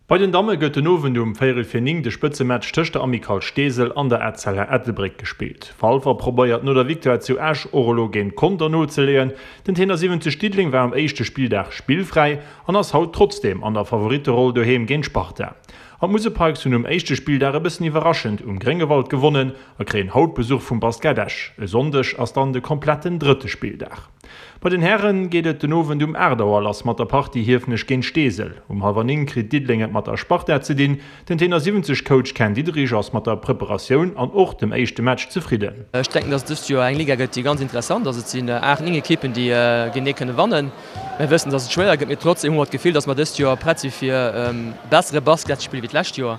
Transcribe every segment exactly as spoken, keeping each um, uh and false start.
Bei den Damme gëtt den Owend um véierel vir néng de Spëtzematch tëscht der Amicale Steesel an der Etzella Ettelbréck gespillt. Walfer probéiert no der Victoire zu Esch och elo géint Conter nozeleeën. Den Tenor siwwenzeg Diddeleng war um éischte Spilldag spillfräi an ass haut trotzdeem an der Favoritteroll doheem géint d'Sparta. An d'Musel Pikes hunn um éischte Spilldag e bëssen iwwerraschend um Gréngewald gewonnen a kréien haut Besuch vum Basket Esch. E Sonndeg ass dann de kompletten drëtte Spilldag. Bei den Häre geet et den Owend um aacht Auer lass mat der Partie Hiefenech géint Steesel. Um hallwer néng kritt Diddeleng et mat der Sparta ze dinn. Den Tenor siwwenzeg Coach Ken Diederich ass mat der Preparatioun an och dem éischte Match zefridden. Ech denken, dass et dëst Joer eng Liga gëtt, déi ganz interessant ass. Et sinn aacht, néng Ekippen, déi géintenee kënne wannen. Mir wëssen, dass et schwéier gëtt, mee trotzdeem hu mer d'Gefill, dass mer dëst Joer prett si fir bessere Basket ze spillen wéi d'lescht Joer,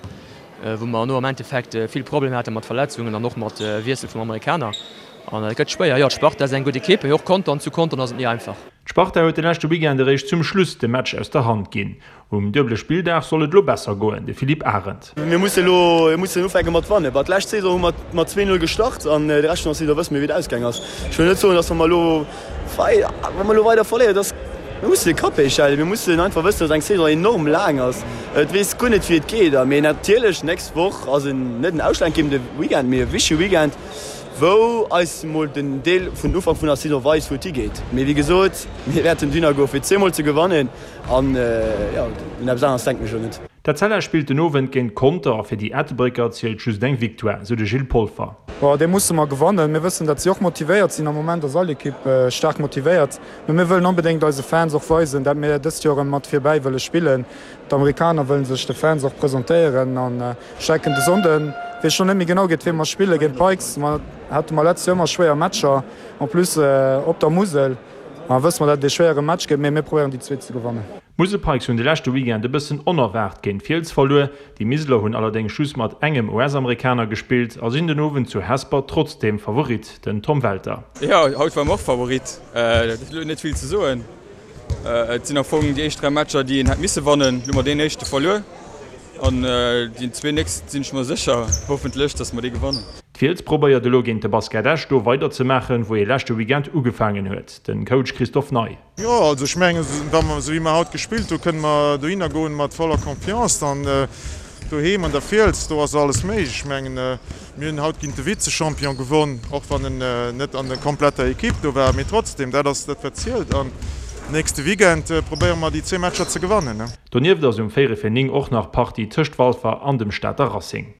wou mer no am Endeffekt vill Problemer hate mat Verletzungen an och mat Wiessel vum Amerikaner. An et gëtt schwéier. Jo, d'Sparta ass eng gutt Ekipp, mee och Contern, zu Contern ass et ni einfach. D'Sparta huet de leschte Weekend eréischt zum Schluss de Match aus der Hand ginn. Um duebele Spilldag soll et elo besser goen, de Philippe Arendt. Mir mussen elo mir mussen ufänke mat wannen. Bah, d'lescht Saison hu mer mat zwee Null gestart an de Rescht vun der Saison wësse mir, wéi et ausgaang ass. Ech wëll net soen, datt wa mer elo wei wa mer elo weider verléieren, datt mir mussen de Kapp héich halen. Mir mussen einfach wëssen, datt eng Saison enorm laang ass. Et weess guer net, wéi et geet. A mee natierlech, d'nächst Woch ass en net en ausschlaggebende Weekend, mee e wichtege Weekend, wou eis mol den Deel vun Ufank vun der Saison weist, wou et higeet. Mee wéi gesot, mir wäerten dohinner goen, fir zweemol ze gewannen an jo, un eppes aneres denken ech elo net. D'Etzella spillt den Owend géint Conter a fir déi Ettelbrécker zielt just eng Victoire, sou de Gilles Polfer. Bon, dee musse mer gewannen. Mir wëssen, datt si och motivéiert sinn. Am Moment ass all Ekipp staark motivéiert. Mee mir wëllen onbedéngt eise Fans och weisen, datt mir dëst Joer erëm mat virbäi wëlle spillen. D'Amerikaner wëlle sech de Fans och presentéieren an ech denken de Sonnden, weess ech nach net méi genau géint wee mer spillen, géint d'Pikes, ma hate mer letzt Joer ëmmer schwéier Matcher, en plus op der Musel, ma wësse mer dat et ee schwéiere Match gëtt, mee mir probéieren déi zwee ze gewannen. D'Musel Pikes hunn de leschte Weekend e bëssen onerwaart géint d'Fiels verluer. Déi Miseler hunn allerdéngs just mat engem U S-Amerikaner gespillt a sinn den Owend zu Hesper trotzdeem Favorit, den Tom Welter. Jo, haut ware mer och Favorit, dat ass elo net vill ze soen. Et sinn am Fong déi éischt dräi Matcher, déi een hätt misse wannen. Elo hu mer deen éischte verluer an déi zwee nächst sinn ech mer sécher, hoffentlech, datt mer déi gewannen. D'Fiels probéiert elo géint de Basket Esch do weiderzemaachen, wou ee leschte Weekend ugefaangen huet. Den Coach Christophe Ney. Jo, also ech mengen, wa mer esou wéi mer haut gespillt hu, kënne mer dohinner goen mat voller Confiance an doheem an der Fiels, do ass alles méiglech. Ech mengen, mir hunn haut géint de Vizechampion gewonn, och wann en net an der kompletter Ekipp do war, mee trotzdem, dat ass dat wat zielt an nächste Weekend probéiere mer déi zwee Matcher ze gewannen. Donieft ass um véierel vir néng och nach Partie tëscht Walfer an dem Stater Racing.